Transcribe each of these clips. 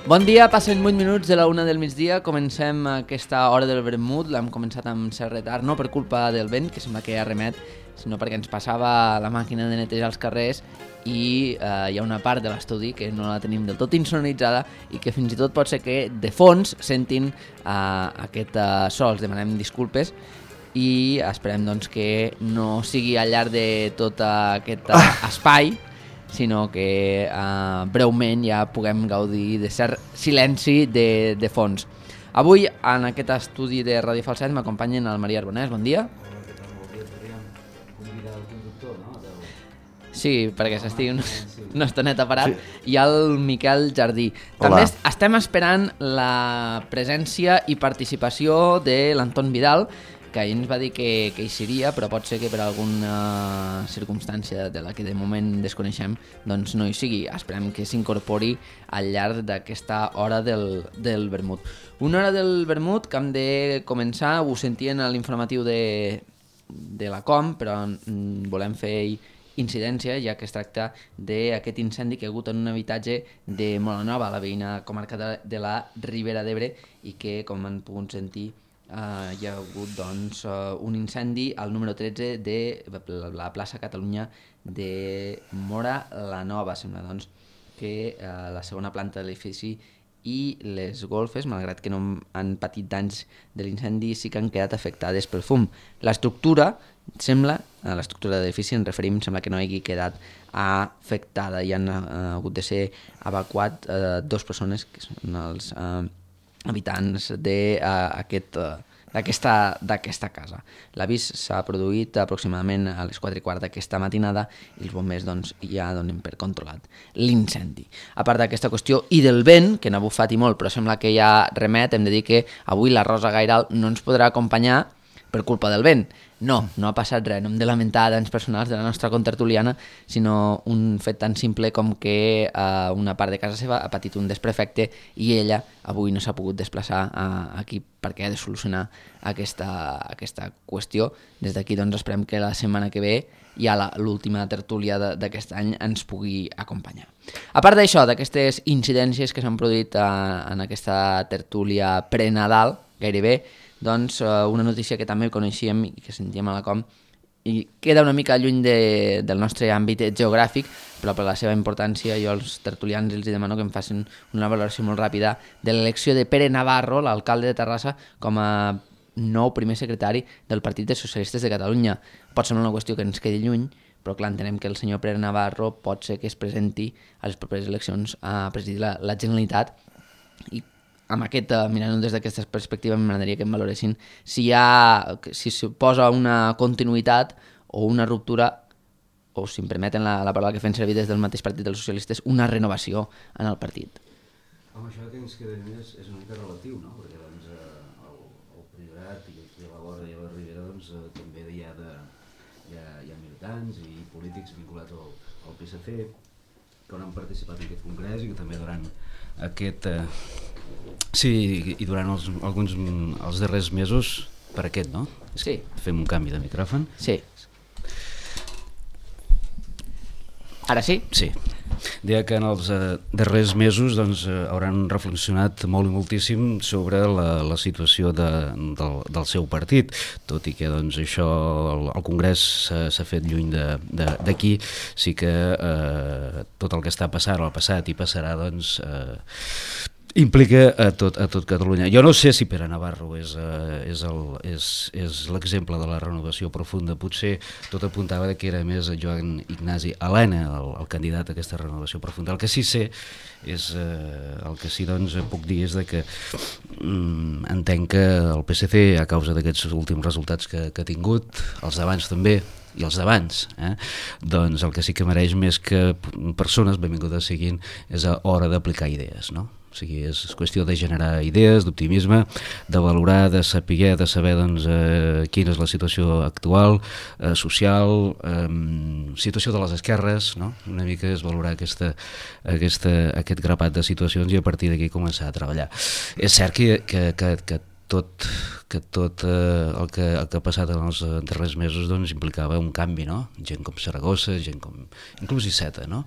Bon dia, passen 8 minuts de la 1 del migdia, comencem aquesta hora del vermut, l'hem començat amb cert retard, no per culpa del vent, que sembla que ja remet, sinó perquè ens passava la màquina de netejar els carrers i hi ha una part de l'estudi que no la tenim del tot insonoritzada i que fins i tot pot ser que de fons sentin aquest so, els demanem disculpes i esperem doncs, que no sigui al llarg de tot aquest espai, sinó que breument ja puguem gaudir de cert silenci de fons. Avui, en aquest estudi de Ràdio Falset, m'acompanyen el Maria Arbonès. Bon dia. Sí, perquè s'estigui una estoneta parat. I el Miquel Jardí. També estem esperant la presència i participació de l'Anton Vidal, que ahir ens va dir que hi seria, però pot ser que per alguna circumstància de la que de moment desconeixem doncs no hi sigui. Esperem que s'incorpori al llarg d'aquesta hora del vermut. Una hora del vermut que hem de començar, ho sentien a l'informatiu de la Com, però volem fer incidència, ja que es tracta d'aquest incendi que ha hagut en un habitatge de Molanova, la veïna comarca de la Ribera d'Ebre, i que, com han pogut sentir, hi ha hagut doncs, un incendi al número 13 de la plaça Catalunya de Móra la Nova. Sembla doncs, que la segona planta de l'edifici i les golfes, malgrat que no han patit danys de l'incendi, sí que han quedat afectades pel fum. L'estructura sembla, a l'estructura de l'edifici ens referim, sembla que no hagi quedat afectada i han hagut de ser evacuat dues persones que són els habitants d'aquesta casa. L'avís s'ha produït aproximadament a les 4:15 d'aquesta matinada i els bombers doncs, ja donen per controlat l'incendi. A part d'aquesta qüestió i del vent, que n'ha bufat i molt, però sembla que ja remet, hem de dir que avui la Rosa Gairal no ens podrà acompanyar per culpa del vent. No ha passat res, no hem de lamentar danys personals de la nostra contertuliana, sinó un fet tan simple com que una part de casa seva ha patit un desperfecte i ella avui no s'ha pogut desplaçar aquí perquè ha de solucionar aquesta qüestió. Des d'aquí doncs esperem que la setmana que ve ja l'última tertúlia d'aquest any ens pugui acompanyar. A part d'això, d'aquestes incidències que s'han produït en aquesta tertúlia pre-Nadal, gairebé, doncs una notícia que també coneixíem i que sentíem a la Com i queda una mica lluny del nostre àmbit geogràfic, però per la seva importància jo als tertulians els demano que em facin una valoració molt ràpida de l'elecció de Pere Navarro, l'alcalde de Terrassa, com a nou primer secretari del Partit dels Socialistes de Catalunya. Pot semblar una qüestió que ens quedi lluny, però clar, entenem que el senyor Pere Navarro pot ser que es presenti a les properes eleccions a presidir la Generalitat i mirant-ho des d'aquesta perspectiva m'agradaria que em valoressin si suposa una continuïtat o una ruptura o, si em permeten la paraula que fem servir des del mateix Partit dels Socialistes, una renovació en el partit. Home, això que ens queda més és una mica relatiu, no? Perquè doncs, el Priorat i aquí a la vora i a la Ribera doncs, també hi ha militants i polítics vinculats al PSC que han participat en aquest congrés i que també durant aquest... Sí, i durant els darrers mesos per aquest, no? Sí. Fem un canvi de micròfon. Sí. Ara sí? Sí. Deia que en els darrers mesos doncs, hauran reflexionat molt i moltíssim sobre la situació del seu partit, tot i que doncs, això el Congrés s'ha fet lluny d'aquí, sí que tot el que està passant o ha passat i passarà doncs, implica a tot Catalunya. Jo no sé si Pere Navarro és l'exemple de la renovació profunda. Potser tot apuntava que era més Joan Ignasi Elena el candidat a aquesta renovació profunda. El que sí sé és, el que sí doncs puc dir és que entenc que el PSC, a causa d'aquests últims resultats que ha tingut, els d'abans també i els d'abans, doncs el que sí que mereix més que persones benvingudes siguin és a hora d'aplicar idees, no? O sigui, és qüestió de generar idees, d'optimisme, de valorar, de saber doncs, quina és la situació actual, social, situació de les esquerres, no? Una mica és valorar aquest grapat de situacions i a partir d'aquí començar a treballar. És cert que tot el que ha passat en els darrers mesos doncs, implicava un canvi, no? Gent com Saragossa, gent com inclús Iceta, no?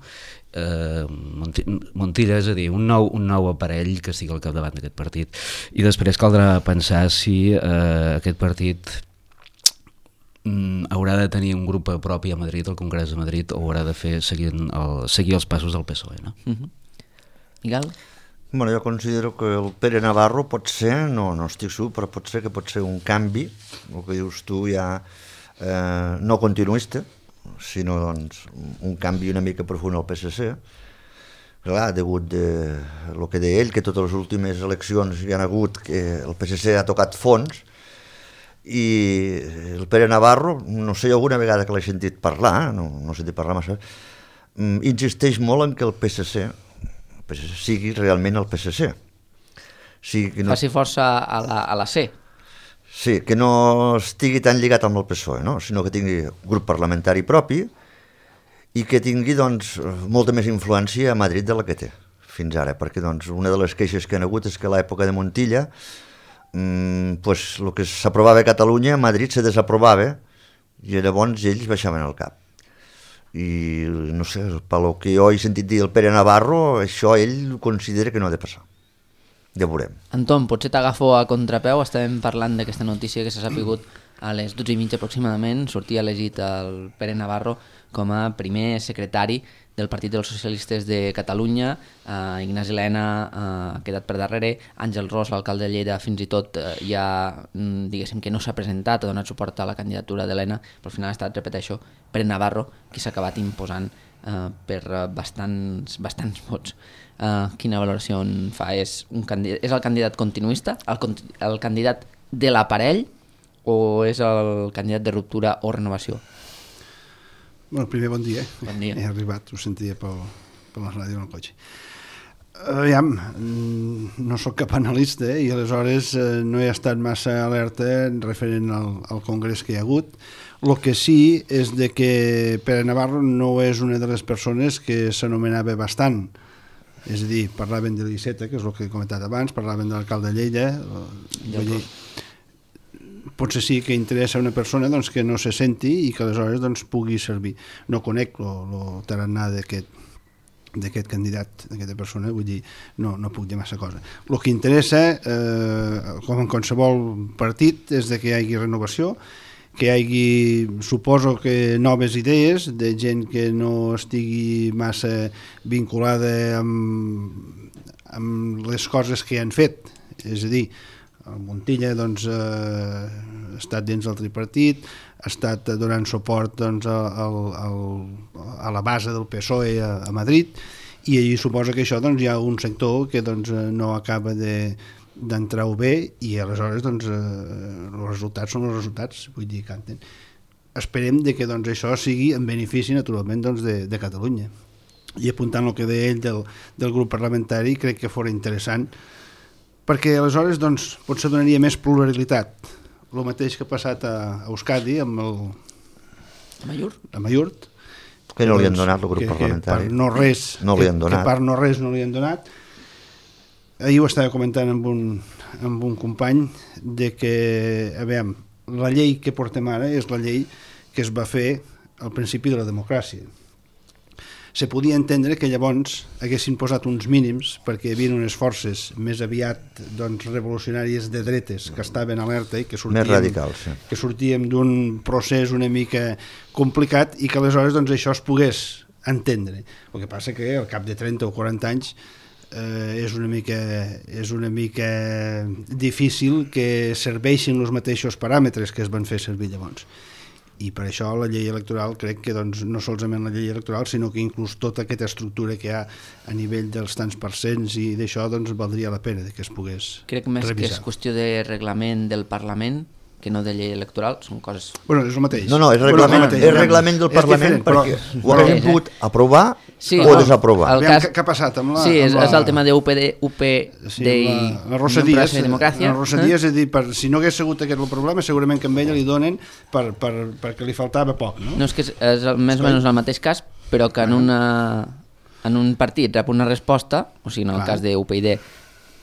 Montilla, és a dir, un nou aparell que estigui al capdavant d'aquest partit, i després caldrà pensar si aquest partit haurà de tenir un grup propi a Madrid, al Congrés de Madrid, o haurà de seguir els passos del PSOE, no? Miguel? Bueno, jo considero que el Pere Navarro pot ser, no estic segur, però pot ser un canvi, el que dius tu ja no continuista, sinó doncs, un canvi una mica profund al PSC. Clar, degut el que deia ell, que totes les últimes eleccions hi ha hagut, que el PSC ha tocat fons, i el Pere Navarro, no sé, alguna vegada que l'he sentit parlar, no he sentit parlar massa, insisteix molt en que el PSC sigui realment el PSC. Faci força a la C. Sí, que no estigui tan lligat amb el PSOE, no? Sinó que tingui grup parlamentari propi i que tingui doncs, molta més influència a Madrid de la que té fins ara, perquè doncs, una de les queixes que han hagut és que a l'època de Montilla pues, el que s'aprovava a Catalunya a Madrid se desaprovava i llavors ells baixaven el cap. I no sé, pel que jo he sentit dir el Pere Navarro, això ell considera que no ha de passar. Ja veurem. Anton, potser t'agafo a contrapeu, estàvem parlant d'aquesta notícia que s'ha sapigut a les 12:30 aproximadament, sortia elegit el Pere Navarro com a primer secretari del Partit dels Socialistes de Catalunya. Ignasi Elena ha quedat per darrere, Àngel Ros, l'alcalde de Lleida, fins i tot ja diguéssim que no s'ha presentat, ha donat suport a la candidatura d'Elena, però al final ha estat, repeteixo, Pere Navarro qui s'ha acabat imposant per bastants vots. Quina valoració en fa? És el candidat continuista, el candidat de l'aparell, o és el candidat de ruptura o renovació? Bueno, primer bon dia. Bon dia. He arribat, ho sentia per la ràdio en el cotxe. Aviam, no sóc cap analista i aleshores no he estat massa alerta referent al congrés que hi ha hagut. El que sí és de que Pere Navarro no és una de les persones que s'anomenava bastant. És a dir, parlaven de l'Iceta, que és el que he comentat abans, parlaven de l'alcalde de Lleida. Potser sí que interessa a una persona doncs, que no se senti i que aleshores doncs, pugui servir. No conec el tarannà d'aquest candidat, d'aquesta persona, vull dir, no puc dir massa cosa. El que interessa, com en qualsevol partit, és de que hi hagi renovació, que hi hagi, suposo que noves idees, de gent que no estigui massa vinculada amb les coses que han fet. És a dir, el Montilla doncs, ha estat dins del tripartit, ha estat donant suport doncs, a la base del PSOE a Madrid, i allí suposa que això doncs, hi ha un sector que doncs, no acaba d'entrar-ho bé i aleshores doncs, els resultats són els resultats, vull dir, canten. Esperem que doncs, això sigui en benefici naturalment doncs, de Catalunya. I apuntant el que deia ell del grup parlamentari, crec que fora interessant, perquè aleshores doncs, potser donaria més pluralitat. El mateix que ha passat a Euskadi amb a Mallurt, que no li han donat el grup parlamentari. Que per no res no li han donat. Ahir ho estava comentant amb un company de que, aviam, la llei que portem ara és la llei que es va fer al principi de la democràcia. Se podia entendre que llavors haguessin posat uns mínims perquè hi havia unes forces més aviat doncs, revolucionàries de dretes que estaven alerta i que sortíem, més radicals, sí. Que sortíem d'un procés una mica complicat i que aleshores doncs, això es pogués entendre. El que passa que al cap de 30 o 40 anys és una mica difícil que serveixin els mateixos paràmetres que es van fer servir llavors. I per això la llei electoral crec que doncs, no solament la llei electoral sinó que inclús tota aquesta estructura que hi ha a nivell dels tants percents i d'això doncs, valdria la pena que es pogués crec més revisar. Que és qüestió de reglament del Parlament que no de llei electoral, són coses... Bueno, és el mateix. No, és reglament, és reglament del Parlament perquè ho han pogut aprovar o desaprovar. Què ha passat amb la... Sí, és el tema d'UPD la Rosa Díaz, és a dir, si no hagués sigut aquest el problema, segurament que a ella li donen perquè li faltava poc, no? No, és que és més o menys el mateix cas, però que en un partit rep una resposta, o sigui, en el cas d'UPyD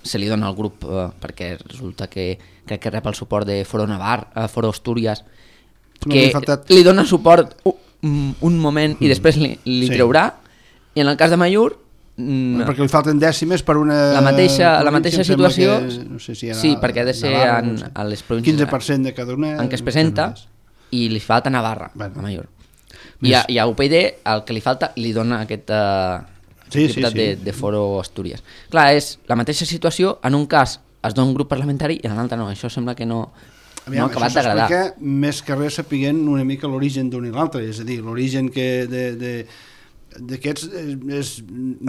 se li dona al grup perquè resulta que crec que rep el suport de Foro Foro Astúries, que li dona suport un moment i després li traurà, i en el cas de Amaiur perquè li falten dècimes per una... La mateixa situació, no sé si sí, perquè ha de ser a les províncies 15% de cada una en què es presenta, i li falta Navarra, a Amaiur. I a UPyD el que li falta li dona aquest diputat de Foro Astúries. Clar, és la mateixa situació, en un cas es dona un grup parlamentari i en l'altre no. Això sembla que no ha acabat d'agradar. Això s'explica més que res sapiguent una mica l'origen d'un i l'altre, és a dir, l'origen d'aquests és...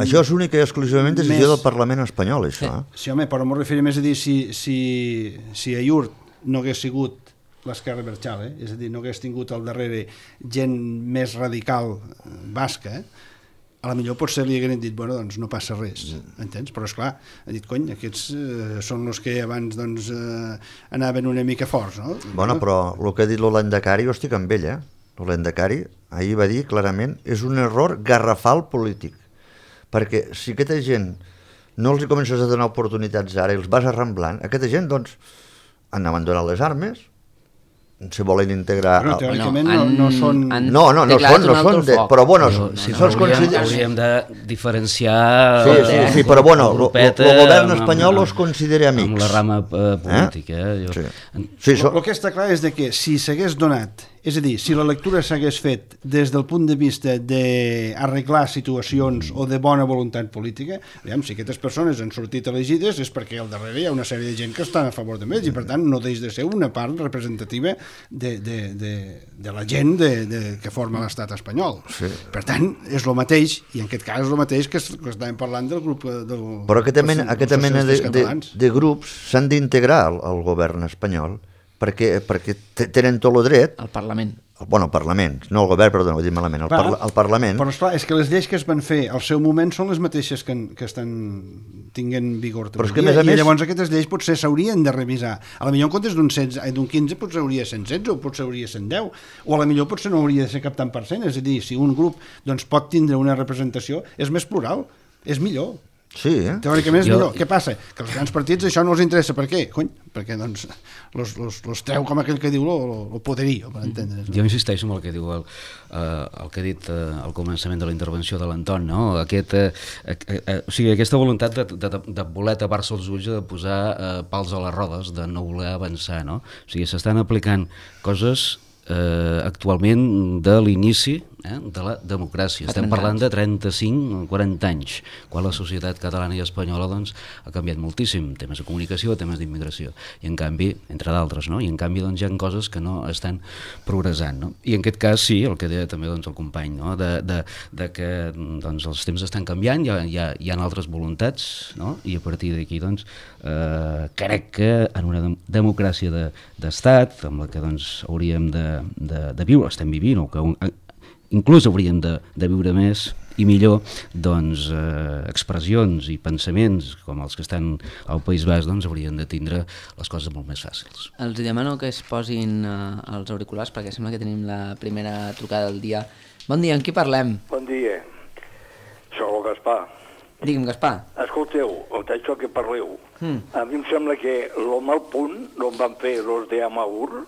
Això és únic i exclusivament decisió del Parlament espanyol, això. Sí, home, però m'ho referia més a dir si a Iurt no hagués sigut l'esquerra Berchal, és a dir, no hagués tingut al darrere gent més radical basca, a la millor potser li hagueren dit, bueno, doncs no passa res, entens? Però esclar, ha dit, cony, aquests són els que abans doncs, anaven una mica forts, no? Bueno, però el que ha dit l'Olendacari, jo estic amb ell, L'Olendacari ahir va dir clarament és un error garrafal polític, perquè si aquesta gent no els comences a donar oportunitats ara i els vas arramblant, aquesta gent doncs han abandonat les armes, se volen integrar... Però teòricament no són... No són de... Però bueno, hauríem de diferenciar... Sí, però bueno, el govern espanyol els considera amics. Amb la rama política. El que està clar és que si s'hagués donat, és a dir, si la lectura s'hagués fet des del punt de vista d'arreglar situacions o de bona voluntat política, si aquestes persones han sortit elegides és perquè al darrere hi ha una sèrie de gent que estan a favor d'ells i per tant no deix de ser una part representativa de la gent que forma l'estat espanyol. Per tant, és el mateix, i en aquest cas és el mateix que estàvem parlant del grup Però aquesta mena de grups s'han d'integrar al govern espanyol perquè tenen tot el dret... Al Parlament. Bueno, al Parlament, no al govern, perdó, ho he dit malament, al Parlament... Però esclar, és que les lleis que es van fer al seu moment són les mateixes que estan tinguent vigor també. I llavors aquestes lleis potser s'haurien de revisar. A la millor en comptes d'un 15 potser hauria de ser 116 o potser hauria de ser 10, o a la millor potser no hauria de ser cap tant %, és a dir, si un grup doncs, pot tindre una representació, és més plural, és millor. Sí, teòricament és millor. Què passa? Que els grans partits això no els interessa. Per què? Cony, perquè doncs los treu com aquell que diu el poderío, per entendre's. Jo insisteixo en el que diu el que ha dit al començament de la intervenció de l'Anton, no? O sigui, aquesta voluntat de voler tapar-se els ulls, de posar pals a les rodes, de no voler avançar, no? O sigui, s'estan aplicant coses actualment de l'inici de la democràcia. Estem parlant de 35 o 40 anys, quan la societat catalana i espanyola doncs, ha canviat moltíssim, temes de comunicació, temes d'immigració, i en canvi, entre d'altres, no? I en canvi doncs, hi ha coses que no estan progressant, no? I en aquest cas sí, el que deia també doncs, el company, no? de que doncs, els temps estan canviant, hi ha altres voluntats, no? I a partir d'aquí doncs, crec que en una democràcia d'estat, amb la que doncs, hauríem de viure, estem vivint, o que inclús hauríem de viure més i millor, doncs expressions i pensaments com els que estan al País Basc doncs haurien de tindre les coses molt més fàcils. Els demano que es posin els auriculars perquè sembla que tenim la primera trucada del dia. Bon dia, amb qui parlem? Bon dia, soc el Gaspar. Digue'm, Gaspar. Escolteu, això que parleu, a mi em sembla que el mal punt on van fer els d'Amaiur,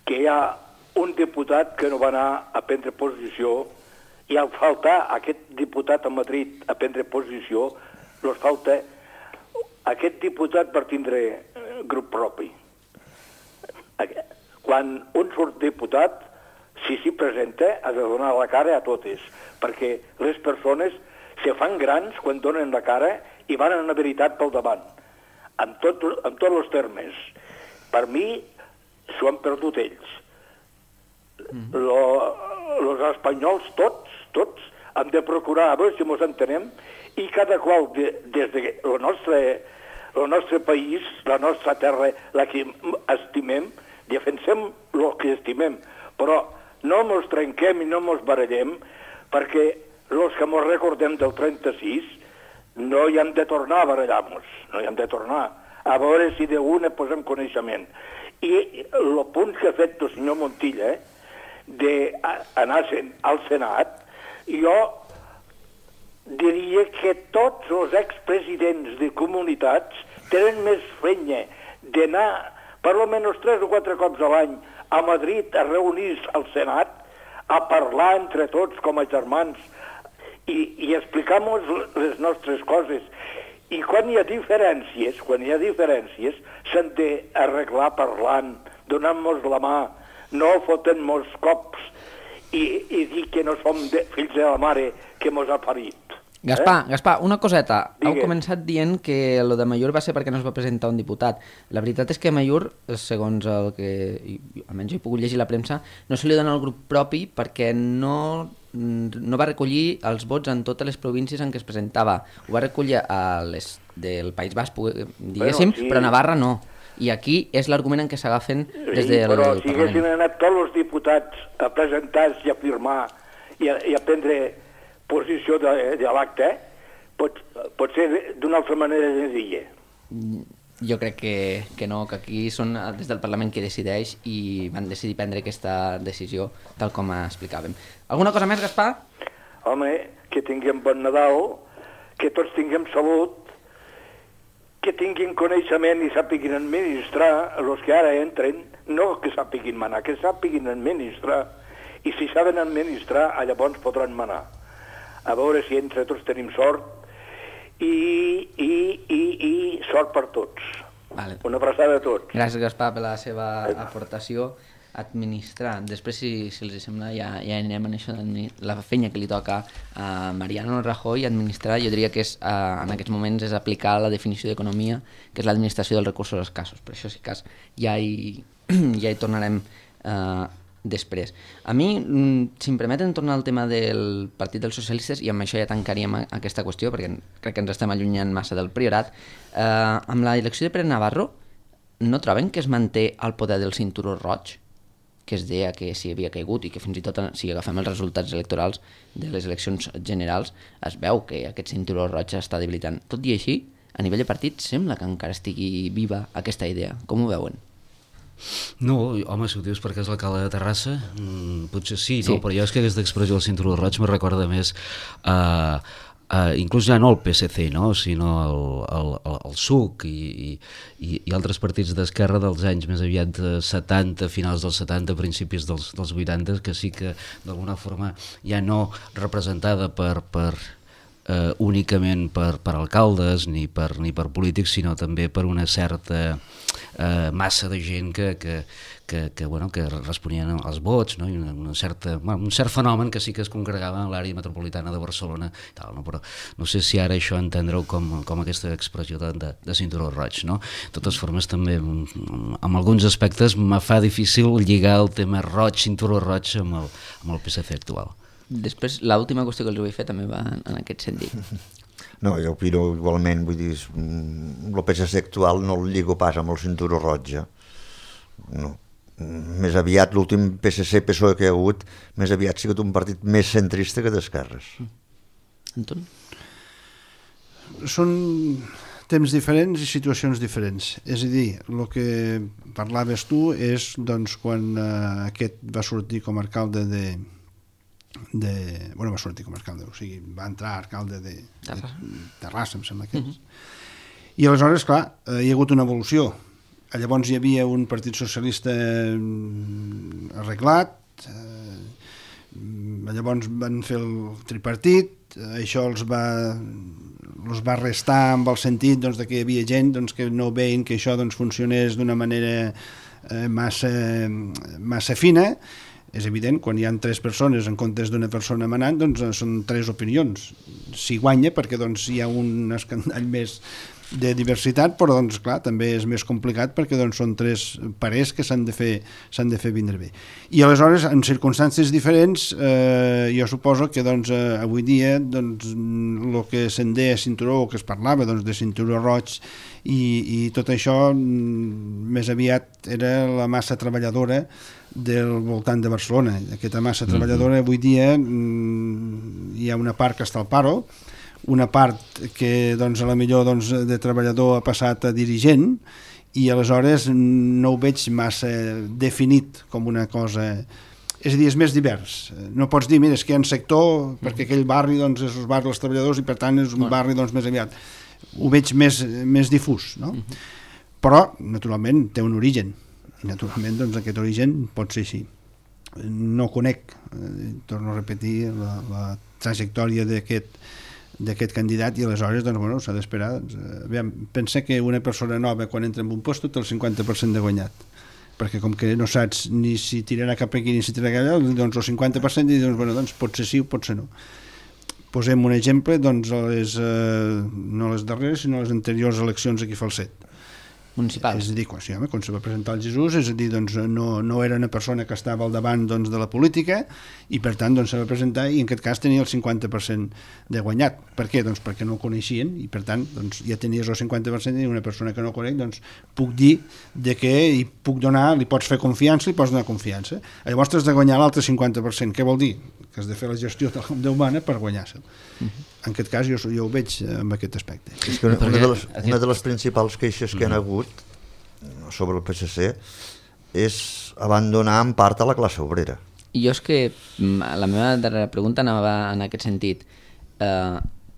que hi ha un diputat que no va anar a prendre posició i al faltar aquest diputat a Madrid a prendre posició, els falta aquest diputat per tindre grup propi. Quan un surt diputat, si s'hi presenta, ha de donar la cara a totes, perquè les persones se fan grans quan donen la cara i van en la veritat pel davant, en tots els termes. Per mi, s'ho han perdut ells. Els espanyols tots han de procurar a veure si ens entenem i cada qual des del nostre país, la nostra terra, la que estimem, defensem el que estimem, però no ens trenquem i no ens barallem perquè els que ens recordem del 36 no hi hem de tornar a barallar-nos, no hi hem de tornar a veure si d'una posem coneixement. I el punt que ha fet el senyor Montilla d'anar al Senat, jo diria que tots els expresidents de comunitats tenen més fenya d'anar per almenys 3 o 4 cops a l'any a Madrid a reunir-se al Senat, a parlar entre tots com a germans i explicar-nos les nostres coses. I quan hi ha diferències, s'han d'arreglar parlant, donant-nos la mà, no fotent-nos cops i dir que no som fills de la mare que mos ha parit. Gaspar, una coseta. Heu Digues. començat dient que lo de Amaiur va ser perquè no es va presentar un diputat. La veritat és que Amaiur, segons el que almenys he pogut llegir a la premsa, no se li dona al grup propi perquè no va recollir els vots en totes les províncies en què es presentava. Ho va recollir a les del País Basc, diguéssim, Bueno, sí. però a Navarra no. I aquí és l'argument en què s'agafen des del Però si haguessin Parlament. anat tots els diputats a presentar-se i a firmar i a prendre posició de l'acte, pot ser d'una altra manera senzilla. Jo crec que no, que aquí són des del Parlament qui decideix i van decidir prendre aquesta decisió tal com explicàvem. Alguna cosa més, Gaspar? Home, que tinguem bon Nadal, que tots tinguem salut, que tinguin coneixement i sàpiguin administrar els que ara entren, no que sàpiguin manar, que sàpiguin administrar, i si saben administrar, llavors podran manar. A veure si entre tots tenim sort i sort per tots. Vale. Una abraçada a tots. Gràcies, Gaspar, per la seva aportació. Administrar. Després, si els sembla, ja anirem en això de la feina que li toca a Mariano Rajoy. Administrar, jo diria que és, en aquests moments és aplicar la definició d'economia, que és l'administració dels recursos escassos. Per això, si cas, ja hi tornarem després. A mi, si em permeten tornar al tema del Partit dels Socialistes, i amb això ja tancaríem aquesta qüestió, perquè crec que ens estem allunyant massa del Priorat, amb la elecció de Pere Navarro, no troben que es manté el poder del cinturó roig, que es deia que s'hi havia caigut i que fins i tot si agafem els resultats electorals de les eleccions generals es veu que aquest cinturó roig està debilitant. Tot i així, a nivell de partit sembla que encara estigui viva aquesta idea. Com ho veuen? No, home, si ho dius perquè és l'alcalde de Terrassa, potser sí, no? Però jo és que aquesta expressió del cinturó roig me recorda més inclús ja no el PSC, no? Sinó el SUC i altres partits d'esquerra dels anys més aviat 70, finals dels 70, principis dels 80, que sí que d'alguna forma ja no representada únicament per alcaldes ni per polítics, sinó també per una certa massa de gent que responien als vots, no? I un cert fenomen que sí que es congregava en l'àrea metropolitana de Barcelona i tal, no? Però no sé si ara això entendre-ho com aquesta expressió de cinturó roig, no? De totes formes també en alguns aspectes me fa difícil lligar el tema roig, cinturó roig amb el PSC actual. Després, l'última qüestió que els vull fer també va en aquest sentit. No, jo opino igualment, vull dir, el PSC actual no el lligo pas amb el cinturó roig, no. Més aviat l'últim PSC-PSOE que hi ha hagut, més aviat ha sigut un partit més centrista que d'esquerres. Anton? Són temps diferents i situacions diferents. És a dir, el que parlaves tu és doncs, quan aquest va sortir com a alcalde va sortir com a alcalde, o sigui, va entrar alcalde de Terrassa, em sembla que és. I aleshores, clar, hi ha hagut una evolució. Llavors hi havia un partit socialista arreglat, llavors van fer el tripartit, això els va restar amb el sentit doncs, de que hi havia gent doncs, que no veien que això doncs, funcionés d'una manera massa fina. És evident, quan hi ha 3 persones en comptes d'una persona manant, doncs són 3 opinions. Si guanya, perquè doncs, hi ha un escandall més de diversitat, però doncs, clar, també és més complicat perquè doncs, són 3 parers que s'han de fer vindre bé. I aleshores, en circumstàncies diferents, jo suposo que doncs, avui dia doncs, el que se'n deia cinturó, o que es parlava doncs, de cinturó roig, i tot això més aviat era la massa treballadora del voltant de Barcelona. Aquesta massa treballadora avui dia hi ha una part que està al paro, una part que doncs, a la millor doncs, de treballador ha passat a dirigent, i aleshores no ho veig massa definit com una cosa és a dir, és més divers. No pots dir, mira, és que hi ha un sector, perquè aquell barri doncs, és el barri dels treballadors i per tant és un barri doncs, més aviat. Ho veig més difús, no? Però, naturalment, té un origen. I, naturalment, doncs, aquest origen pot ser així. No conec, torno a repetir, la trajectòria d'aquest candidat i aleshores doncs, bueno, s'ha d'esperar. Pensa que una persona nova quan entra en un lloc té el 50% de guanyat, perquè com que no saps ni si tirarà cap aquí ni si tirarà cap allà, doncs el 50% i doncs, bueno, doncs pot ser sí o pot ser no. Posem un exemple, doncs no les darreres sinó les anteriors eleccions aquí a Falset municipal. És a dir, quan se va presentar el Jesús, és a dir, doncs, no era una persona que estava al davant doncs, de la política i per tant doncs, se va presentar i en aquest cas tenia el 50% de guanyat. Per què? Doncs perquè no el coneixien i per tant doncs, ja tenies el 50% i una persona que no conec doncs, puc dir de que li pots fer confiança, li pots donar confiança. Llavors has de guanyar l'altre 50%. Què vol dir? Que has de fer la gestió humana per guanyar-se'l. En aquest cas jo ho veig en aquest aspecte. És que una de les principals queixes que han hagut sobre el PSC és abandonar en part a la classe obrera. I jo és que la meva darrera pregunta anava en aquest sentit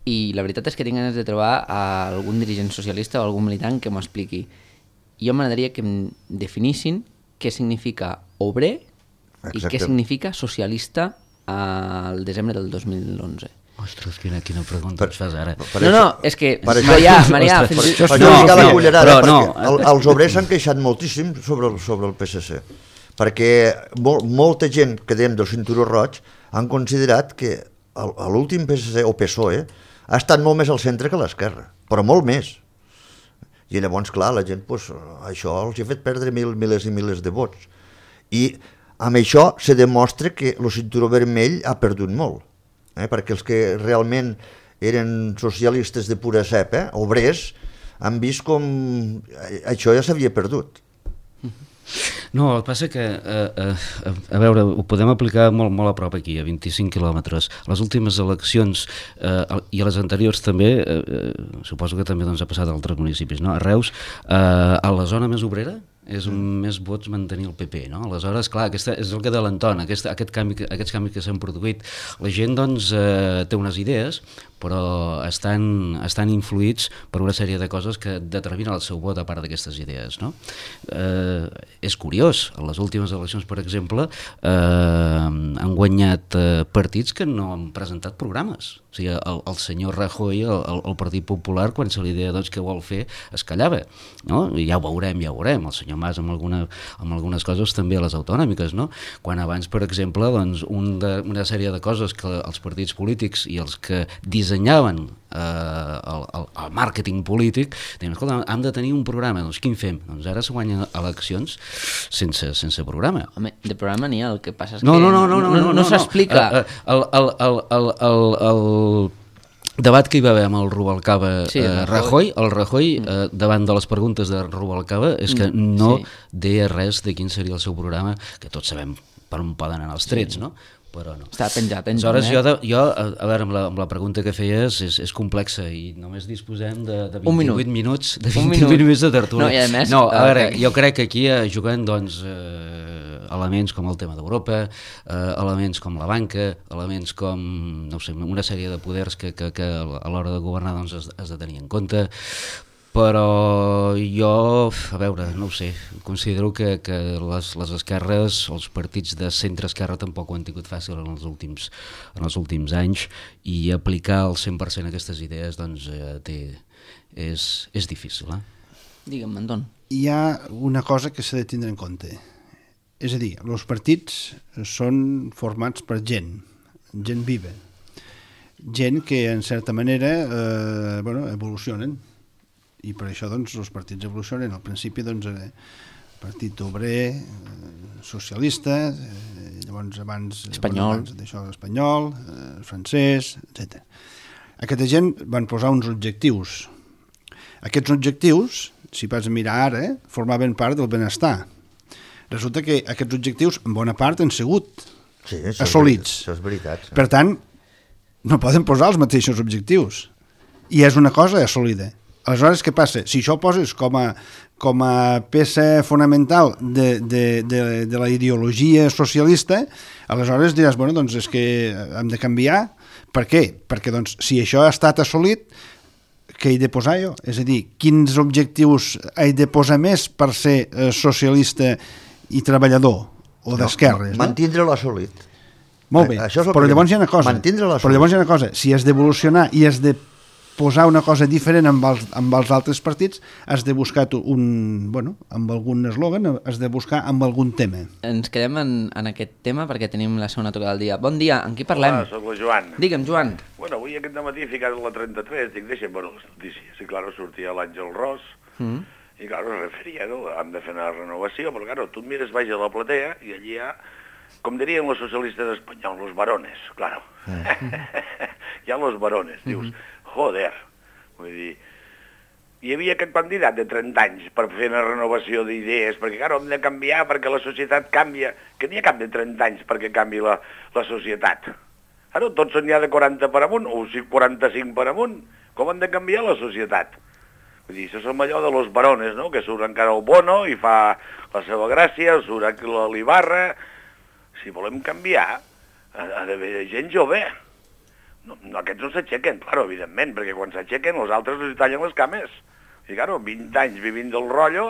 i la veritat és que tinc ganes de trobar algun dirigent socialista o algun militant que m'ho expliqui. Jo m'agradaria que em definissin què significa obrer i què significa socialista al desembre del 2011. Ostres, quina pregunta ens fas ara. No, és que Marià, els obrers s'han queixat moltíssim sobre el PSC, perquè molta gent que dèiem del cinturó roig han considerat que l'últim PSC o PSOE ha estat molt més al centre que a l'esquerra, però molt més. I llavors, clar, la gent, això els ha fet perdre milers i milers de vots. I amb això se demostra que el cinturó vermell ha perdut molt. Perquè els que realment eren socialistes de pura cepa, obrers, han vist com això ja s'havia perdut. No, el que passa que, a veure, ho podem aplicar molt a prop aquí, a 25 quilòmetres. Les últimes eleccions i a les anteriors també, suposo que també doncs, ha passat a altres municipis, no? A Reus, a la zona més obrera, és on més vots mantenir el PP, no? Aleshores, clar, és el que l'entona, aquests canvis que s'han produït. La gent, doncs, té unes idees, però estan influïts per una sèrie de coses que determinen el seu vot a part d'aquestes idees, no? És curiós, a les últimes eleccions, per exemple, han guanyat partits que no han presentat programes. O sigui, el senyor Rajoy, el Partit Popular, quan se li deia doncs, què vol fer, es callava, no? I ja ho veurem. El senyor Mas amb algunes coses també a les autonòmiques, no? Quan abans, per exemple, doncs, una sèrie de coses que els partits polítics i els que dissenyaven el màrqueting polític, deien, escolta, hem de tenir un programa, doncs quin fem? Doncs ara se guanyen eleccions sense programa. Home, de programa n'hi ha, el que passa és que no s'explica. El debat que hi va haver amb el Rubalcaba Rajoy, davant de les preguntes de Rubalcaba és que no deia res de quin seria el seu programa, que tots sabem per on poden anar els trets, no? Però no. Està penjat. Aleshores, jo, a veure, amb la pregunta que feies és complexa i només disposem de 28 minuts de tertúlia. No, i a més... No, a veure, jo crec que aquí juguen, doncs, elements com el tema d'Europa, elements com la banca, elements com, no sé, una sèrie de poders que a l'hora de governar doncs, has de tenir en compte, però jo, a veure, no ho sé, considero que les esquerres, els partits de centre-esquerra tampoc ho han tingut fàcil en els últims anys i aplicar al 100% aquestes idees doncs, és difícil. Digue'm, Anton. Hi ha una cosa que s'ha de tindre en compte. És a dir, els partits són formats per gent viva, gent que en certa manera evolucionen. I per això doncs, els partits evolucionen. Al principi doncs, partit obrer, socialista, llavors abans espanyol, francès, etc. Aquesta gent van posar uns objectius. Aquests objectius, si vas a mirar ara, formaven part del benestar. Resulta que aquests objectius en bona part han sigut assolits. Això és veritat. Per tant, no poden posar els mateixos objectius. I és una cosa assolida. Aleshores, què passa? Si això ho poses com a peça fonamental de la ideologia socialista, aleshores diràs, bueno, doncs és que hem de canviar. Per què? Perquè doncs, si això ha estat assolit, què he de posar jo? És a dir, quins objectius he de posar més per ser socialista i treballador o d'esquerres? Mantindre l'assolit. Molt bé, però llavors hi ha una cosa. Si has d'evolucionar i has de posar una cosa diferent amb els altres partits, has de buscar amb algun eslògan, has de buscar amb algun tema. Ens quedem en aquest tema perquè tenim la segona tocada del dia. Bon dia, amb qui parlem? Hola, soc la Joan. Digue'm, Joan. Bueno, avui aquest matí he ficat la 33, dic, deixa'm veure les notícies. I, claro, sortia l'Àngel Ros, i, claro, es referia, no? Hem de fer una renovació, però, claro, tu et mires baix a la platea i allí hi ha, com dirien els socialistes espanyols, los varones, claro. Hi ha los varones, dius, joder, vull dir, hi havia aquest candidat de 30 anys per fer una renovació d'idees, perquè, clar, hem de canviar perquè la societat canvia, que n'hi ha cap de 30 anys perquè canvi la societat. Ara tots n'hi ha de 40 per amunt, o 45 per amunt, com han de canviar la societat? Vull dir, això som allò de los varones, no?, que surt encara el Bono i fa la seva gràcia, surt l'Ibarra. Si volem canviar, ha d'haver gent jove. No, aquests no s'aixequen, claro, evidentment, perquè quan s'aixequen els altres els tallen les cames. I, claro, 20 anys vivint del rotllo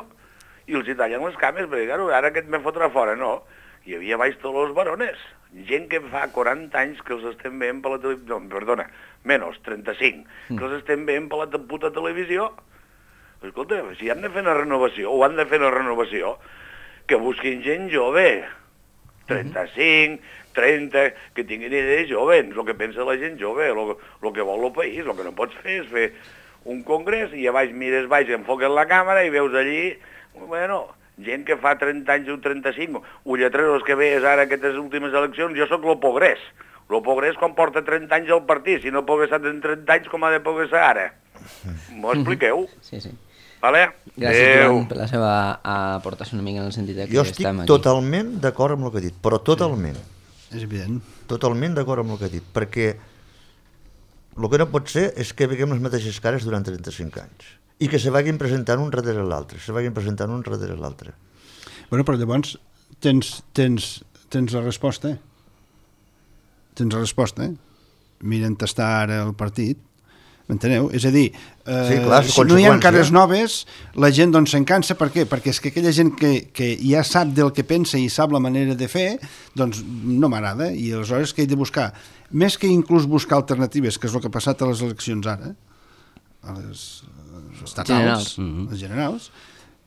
i els tallen les cames, perquè, claro, ara aquest me fotrà fora, no. Hi havia baix tots els varones, gent que fa 40 anys que els estem veient per la televisió, no, perdona, menys, 35, que els estem veient per la puta televisió. Escolta, si han de fer una renovació, o han de fer una renovació, que busquin gent jove, 35, 30, que tinguin idees joves, el que pensa la gent jove, el que vol el país. El que no pots fer és fer un congrés i a baix mires baix, enfoques la càmera i veus allí, bueno, gent que fa 30 anys o 35, o lletreros que veies ara aquestes últimes eleccions. Jo sóc lo Pogrés. Lo Pogrés quan porta 30 anys al partit, si no pogués estar en 30 anys com ha de pogués ara. M'ho expliqueu? Sí, sí. Vale? Gràcies, Joan, per la seva aportació una mica en el sentit que jo estem aquí. Jo estic totalment d'acord amb el que ha dit, però totalment. És evident. Totalment d'acord amb el que ha dit, perquè el que no pot ser és que veiem les mateixes cares durant 35 anys i que se vagin presentant un darrere l'altre, Bueno, però llavors tens la resposta. Tens la resposta. Miren tastar ara el partit. M'enteneu? És a dir, sí, clar, si no hi ha cares noves, la gent doncs se'n cansa. Per què? Perquè és que aquella gent que ja sap del que pensa i sap la manera de fer, doncs no m'agrada, i aleshores que he de buscar, més que inclús buscar alternatives, que és el que ha passat a les eleccions ara, a les estatals, les generals,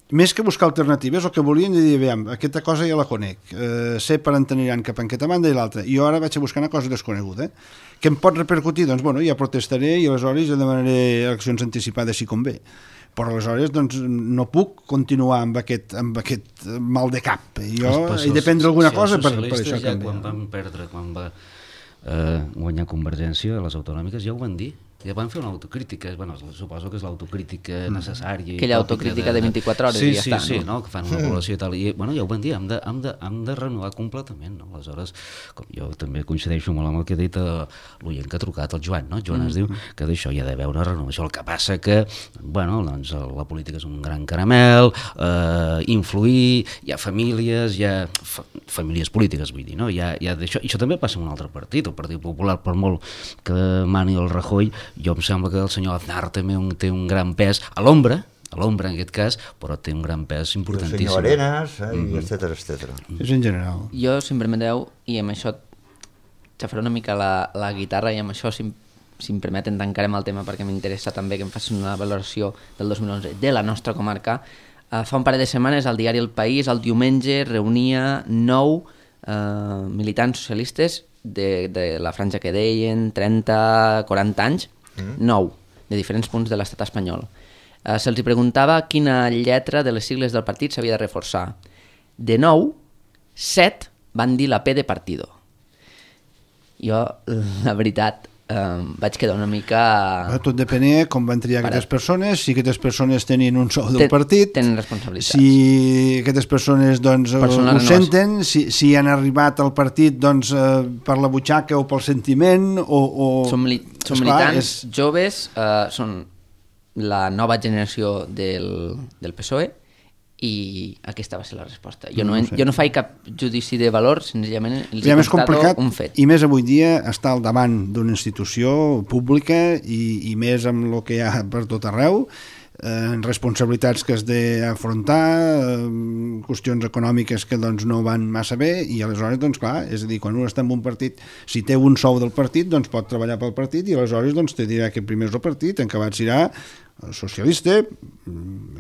més que buscar alternatives, el que volien dir, veiem, aquesta cosa ja la conec, sé per on aniran cap en aquesta banda i l'altra, i jo ara vaig a buscar una cosa desconeguda, que em pot repercutir, doncs, bueno, ja protestaré i aleshores ja demanaré eleccions anticipades si convé. Però aleshores doncs, no puc continuar amb aquest mal de cap. Jo he de prendre alguna cosa per això canviar. Quan van perdre, quan va guanyar Convergència a les autonòmiques, ja ho van dir. Ja van fer una autocrítica, bueno, suposo que és l'autocrítica necessària. Aquella autocrítica de 24 hores i ja està. Sí, no? Que fan una avaluació i tal. I, bueno, ja ho van dir, hem de renovar completament. No? Aleshores, com jo també coincideixo molt amb el que ha dit l'oient que ha trucat, el Joan, no? Joan es diu que d'això hi ha d'haver una renovació. El que passa que, bueno, doncs la política és un gran caramel, influir, hi ha famílies, hi ha famílies polítiques, vull dir, no? Hi ha d'això. I això també passa en un altre partit, el Partit Popular, per molt que mani el Rajoy. Jo em sembla que el senyor Aznar també té un gran pes a l'ombra en aquest cas, però té un gran pes importantíssim. El senyor Arenas, etcètera. És en general. Jo, si em permeteu, i amb això xafaré una mica la guitarra, i amb això, si em permeten, tancarem el tema perquè m'interessa també que em facin una valoració del 2011 de la nostra comarca. Fa un parell de setmanes el diari El País, el diumenge, reunia 9 militants socialistes de la franja que deien, 30, 40 anys, 9, de diferents punts de l'estat espanyol. Se'ls preguntava quina lletra de les sigles del partit s'havia de reforçar. De 9, 7 van dir la P de partido. Jo, la veritat, vaig quedar una mica... Tot depenia com van triar aquestes persones, si aquestes persones tenien un sou del partit, tenen responsabilitats. Si aquestes persones doncs, ho senten, si han arribat al partit doncs, per la butxaca o pel sentiment, o... Són militants joves, són la nova generació del PSOE, i aquesta va ser la resposta. Jo no faig cap judici de valor, senzillament els he constatat un fet. I més avui dia està al davant d'una institució pública i més amb el que hi ha per tot arreu, responsabilitats que has d'afrontar, qüestions econòmiques que doncs no van massa bé, i aleshores doncs clar, és a dir, quan un està en un partit, si té un sou del partit doncs pot treballar pel partit, i aleshores doncs te dirà que primer és el partit, en acabat serà socialista,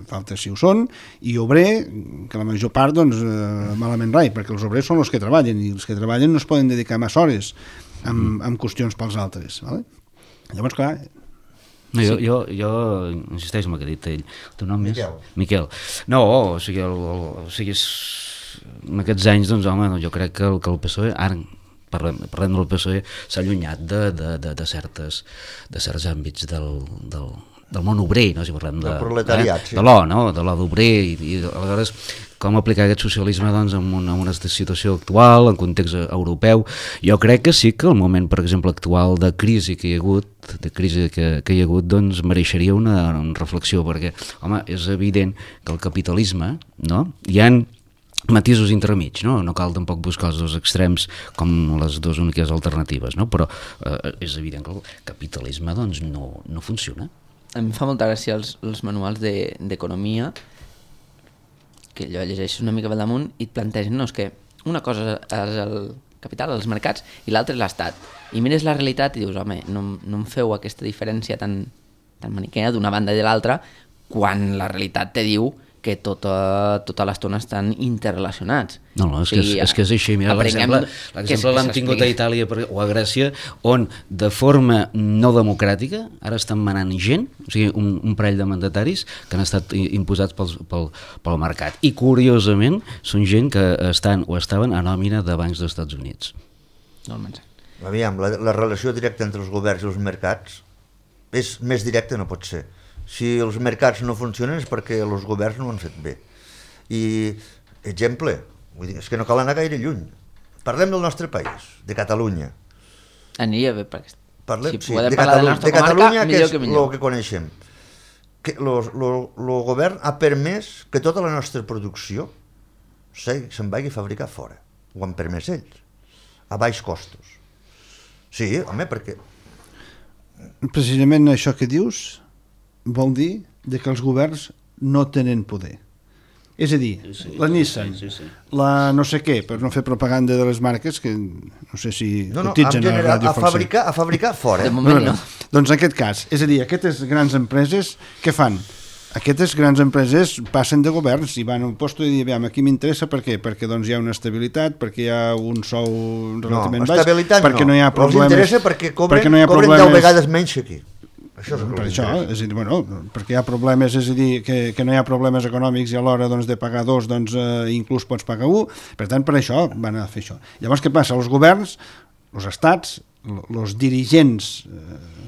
falta si ho són, i obrer, que la major part doncs malament rai, perquè els obrers són els que treballen, i els que treballen no es poden dedicar massa hores amb qüestions pels altres, vale? Llavors clar, no, jo insisteixo en el que ha dit ell. El teu nom és? Miquel. No, o sigui, en aquests anys, doncs, home, jo crec que el PSOE, ara parlem del PSOE, s'ha allunyat de certs àmbits del món obrer, no? Si parlem del proletariat, de l'O, no? De l'O d'obrer, i aleshores com aplicar aquest socialisme doncs, en una situació actual, en context europeu. Jo crec que sí que el moment, per exemple, actual de crisi que hi ha hagut, doncs mereixeria una reflexió, perquè, home, és evident que el capitalisme, no? Hi ha matisos intermig, no? No cal tampoc buscar els dos extrems com les dues úniques alternatives, no? Però és evident que el capitalisme doncs, no funciona. A mi em fa molta gràcia els manuals d'economia, que allò llegeixes una mica per damunt i et plantegen, no, és que una cosa és el capital, els mercats, i l'altra és l'Estat. I mires la realitat i dius, home, no em feu aquesta diferència tan maniquea d'una banda i de l'altra, quan la realitat te diu que tota l'estona estan interrelacionats. No, és que és així. Mira, l'exemple l'hem tingut a Itàlia o a Grècia, on de forma no democràtica ara estan manant gent, o sigui, un parell de mandataris que han estat imposats pel mercat. I curiosament són gent que estan o estaven a nòmina de bancs dels Estats Units. Aviam, la relació directa entre els governs i els mercats és més directa, no pot ser. Si els mercats no funcionen és perquè els governs no ho han fet bé. I, exemple, vull dir, és que no cal anar gaire lluny. Parlem del nostre país, de Catalunya. Aniria bé, perquè si podem parlar de la nostra comarca, millor que millor. El que coneixem. El govern ha permès que tota la nostra producció se'n vagi a fabricar fora. Ho han permès ells, a baix costos. Sí, home, perquè... Precisament això que dius vol dir que els governs no tenen poder. És a dir, la Nissan, la no sé què, per no fer propaganda de les marques, que no sé si cotitzen a la Ràdio Falset. A fabricar fora. De moment no. Doncs en aquest cas, és a dir, aquestes grans empreses, què fan? Aquestes grans empreses passen de governs i van a un lloc i diuen, aquí m'interessa, per què? Perquè doncs hi ha una estabilitat, perquè hi ha un sou relativament baix, perquè no hi ha problemes... Els interessa perquè cobren 10 vegades menys que aquí. Per això, és a dir, bueno, perquè hi ha problemes, és a dir, que no hi ha problemes econòmics i a l'hora doncs, de pagar dos, doncs inclús pots pagar un, per tant, per això van a fer això. Llavors, què passa? Els governs, els estats, els dirigents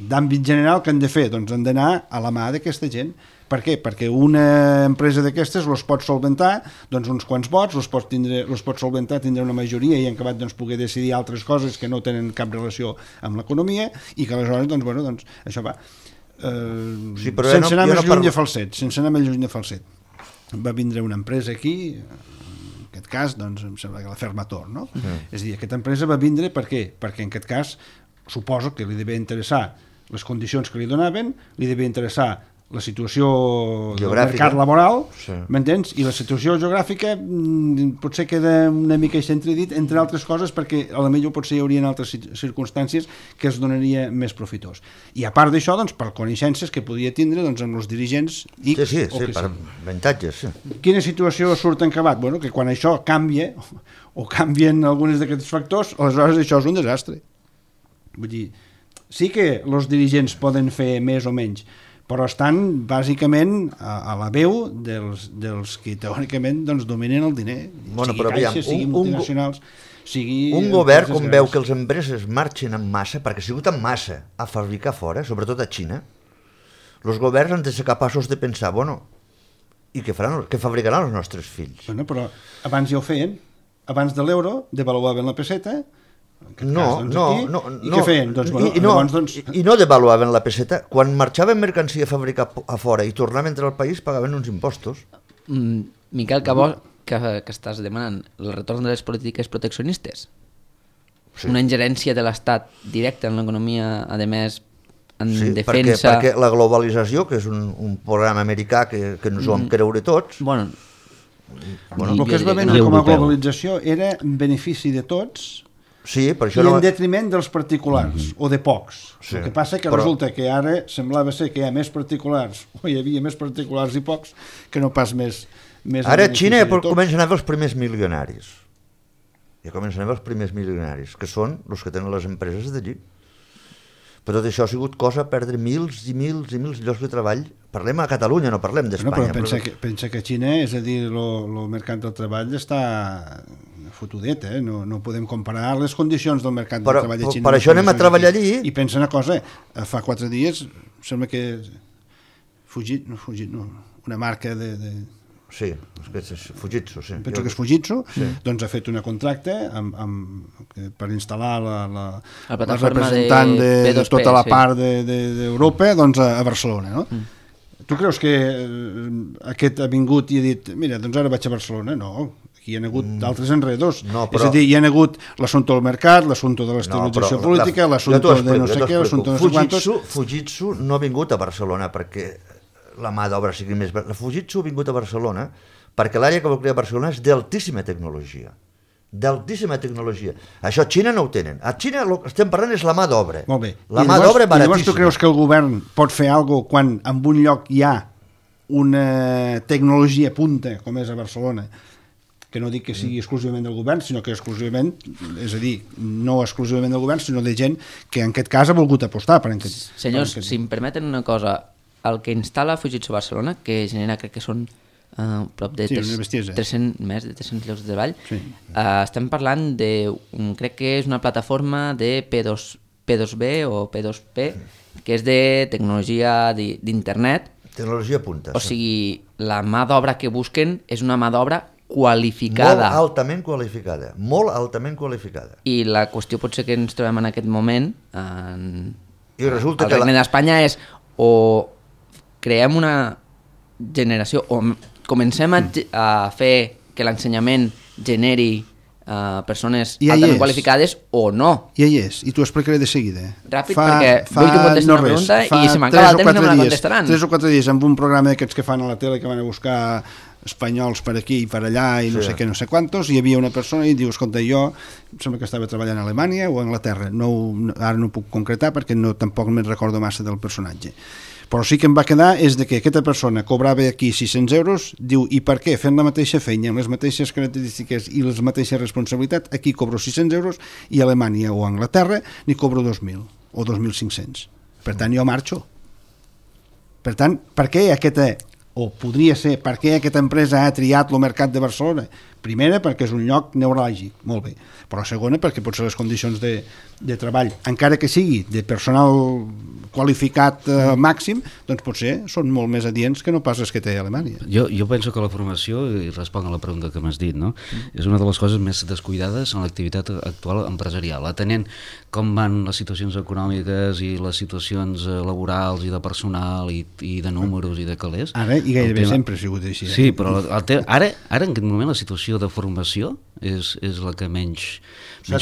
d'àmbit general que han de fer? Doncs han d'anar a la mà d'aquesta gent. Per què? Perquè una empresa d'aquestes els pot solventar doncs, uns quants vots, els pot solventar, tindre una majoria i en acabat doncs, poder decidir altres coses que no tenen cap relació amb l'economia i que aleshores, doncs, bueno, doncs, això va. Sense anar més lluny de Falset. Va vindre una empresa aquí, en aquest cas, doncs, em sembla que la Fermator, no? És a dir, aquesta empresa va vindre per què? Perquè en aquest cas suposo que li devia interessar les condicions que li donaven, li devia interessar la situació del mercat laboral, m'entens? I la situació geogràfica potser queda una mica dit, entre altres coses, perquè a la millor potser hi haurien altres circumstàncies que es donaria més profitós. I a part d'això, doncs, per coneixences que podia tindre doncs, amb els dirigents X sí, per avantatges. Sí. Quina situació surt en acabat? Bueno, que quan això canvia, o canvien alguns d'aquests factors, aleshores això és un desastre. Vull dir, sí que els dirigents poden fer més o menys, però estan bàsicament a la veu dels que teòricament doncs, dominen el diner, sigui caixes, sigui multinacionals, sigui... Un govern, com veu que les empreses marxen en massa, perquè ha sigut en massa a fabricar fora, sobretot a Xina, els governs han de ser capaços de pensar, bueno, i què fabricaran els nostres fills? Bueno, però abans ja ho feien. Abans de l'euro devaluaven la peseta I què feien? Doncs, I no devaluaven la peseta. Quan marxaven mercancia a fabricar a fora i tornaven a entrar al país, pagaven uns impostos. Miquel Cabó, que estàs demanant el retorn de les polítiques proteccionistes? Sí. Una ingerència de l'Estat directa en l'economia, a més, en defensa... Perquè la globalització, que és un programa americà que ens ho vam creure tots... Bueno, el que es va vendre com a globalització era en benefici de tots, sí, per això i en detriment dels particulars, o de pocs. Sí. El que passa que resulta que ara semblava ser que hi ha més particulars, o hi havia més particulars i pocs, que no pas més ara a Xina comencen a haver els primers milionaris. Ja comencen a haver els primers milionaris, que són els que tenen les empreses d'allí. Però tot això ha sigut cosa perdre mils i mils i mils llocs de treball. Parlem a Catalunya, no parlem d'Espanya. Però pensa que a Xina, és a dir, el mercat del treball està fotudet, no podem comparar les condicions del mercat del treball de Xina. Per això anem a treballar allí. I pensa una cosa, fa 4 dies, sembla que una marca de sí, és Fujitsu, sí. Penso que és Fujitsu, sí. Doncs ha fet un contracte per instal·lar la representant de tota la part d'Europa doncs a Barcelona, no? Tu creus que aquest ha vingut i ha dit, mira, doncs ara vaig a Barcelona? No, aquí hi ha hagut d'altres enredors. És a dir, hi ha hagut l'assumpte del mercat, l'assumpte de l'estabilització política, l'assumpte de no sé què, l'assumpte de no sé quantos... Fujitsu no ha vingut a Barcelona perquè la mà d'obra sigui més... La Fujitsu ha vingut a Barcelona perquè l'àrea que vol crear Barcelona és d'altíssima tecnologia. D'altíssima tecnologia. Això a Xina no ho tenen. A Xina el que estem parlant és la mà d'obra. Molt bé. La mà d'obra baratíssima. Llavors tu creus que el govern pot fer alguna cosa quan en un lloc hi ha una tecnologia punta, com és a Barcelona, que no dic que sigui exclusivament del govern, sinó que exclusivament, és a dir, no exclusivament del govern, sinó de gent que en aquest cas ha volgut apostar. Senyors, si em permeten una cosa, el que instal·la Fujitsu Barcelona, que genera, crec que són prop de 300, més de 300 llocs de treball, estem parlant de, crec que és una plataforma de P2B o P2P, que és de tecnologia d'internet. Tecnologia punta. O sigui, la mà d'obra que busquen és una mà d'obra qualificada. Molt altament qualificada. Molt altament qualificada. I la qüestió potser que ens trobem en aquest moment I resulta al Regne d'Espanya és o creem una generació o comencem a fer que l'ensenyament generi persones altament qualificades o no. I hi és, i t'ho explicaré de seguida. Ràpid, perquè vull que em contestin una pregunta i si m'acaba el temps no me la contestaran. 3 o 4 dies amb un programa d'aquests que fan a la tele que van a buscar espanyols per aquí i per allà i no sé què, no sé quantos, hi havia una persona i diu, escolta, jo sembla que estava treballant a Alemanya o a Anglaterra, ara no puc concretar perquè tampoc me'n recordo massa del personatge. Però sí que em va quedar és de que aquesta persona cobrava aquí 600 euros, diu, i per què? Fent la mateixa feina, amb les mateixes característiques i les mateixes responsabilitats, aquí cobro 600 euros i a Alemanya o a Anglaterra n'hi cobro 2.000 o 2.500. Per tant, jo marxo. Per tant, per què aquesta, o podria ser, per què aquesta empresa ha triat el mercat de Barcelona? Primera, perquè és un lloc neuràlgic, molt bé. Però segona, perquè potser les condicions de treball, encara que sigui de personal qualificat màxim, doncs potser són molt més adients que no pas les que té a Alemanya. Jo penso que la formació, i responc a la pregunta que m'has dit, no? És una de les coses més descuidades en l'activitat actual empresarial, atenent com van les situacions econòmiques i les situacions laborals i de personal i de números i de calés. Ara i gairebé sempre ha sigut així. Sí, però ara en aquest moment la situació de formació és la que menys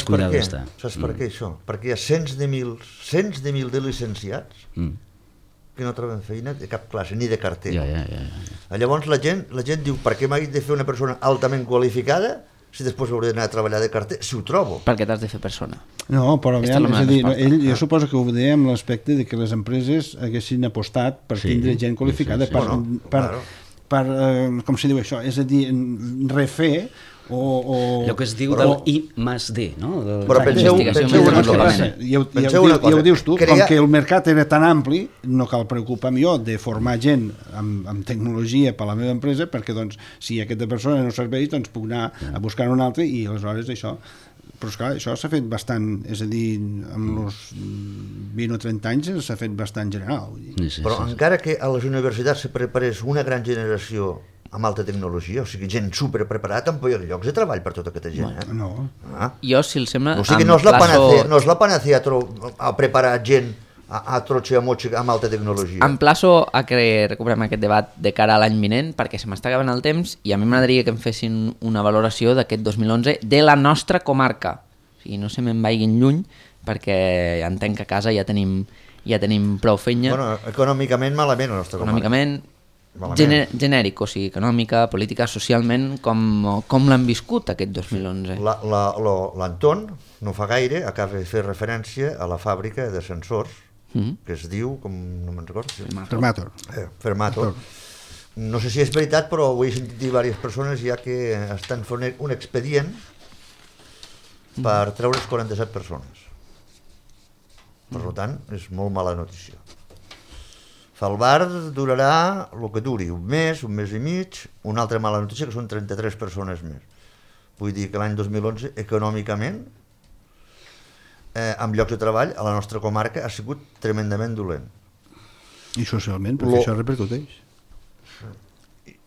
cuidada està. Saps per què això? Perquè hi ha cents de mil de licenciats que no troben feina de cap classe, ni de carter. Llavors la gent diu, per què m'haig de fer una persona altament qualificada si després hauré d'anar a treballar de carter, si ho trobo? Perquè t'has de fer persona. No, però jo suposo que ho deia amb l'aspecte de que les empreses haguessin apostat per tindre gent qualificada per com se diu això, és a dir, refer allò que es diu del I+D, no? Però penseu una cosa. Ja ho dius tu, com que el mercat era tan ampli, no cal preocupar-me jo de formar gent amb tecnologia per a la meva empresa, perquè doncs, si aquesta persona no serveix, doncs puc anar a buscar un altre i aleshores això... Però esclar, això s'ha fet bastant, és a dir, amb els 20 o 30 anys s'ha fet bastant general. Però encara que a les universitats se preparés una gran generació amb alta tecnologia, o sigui, gent superpreparada, tampoc hi ha llocs de treball per tota aquesta gent. No. Jo, si els sembla... O sigui, no és la panacea a preparar gent a trotxe a motxe amb alta tecnologia. Emplaço a que recuperem aquest debat de cara a l'any vinent, perquè se m'està acabant el temps i a mi m'agradaria que em fessin una valoració d'aquest 2011 de la nostra comarca. O sigui, no se me'n vagin lluny, perquè entenc que a casa ja tenim prou feina. Bueno, econòmicament malament la nostra comarca. Econòmicament genèric, o sigui, econòmica, política, socialment, com l'han viscut aquest 2011? L'Anton, no fa gaire, acaba de fer referència a la fàbrica de sensors, que es diu, com no me'n recordo? Fermator. No sé si és veritat, però ho he sentit dir diverses persones ja que estan fent un expedient per treure's 47 persones. Per tant, és molt mala notícia. Falbar durarà el que duri, un mes i mig, una altra mala notícia que són 33 persones més. Vull dir que l'any 2011, econòmicament, amb llocs de treball, a la nostra comarca ha sigut tremendament dolent. I socialment, perquè això repercuteix.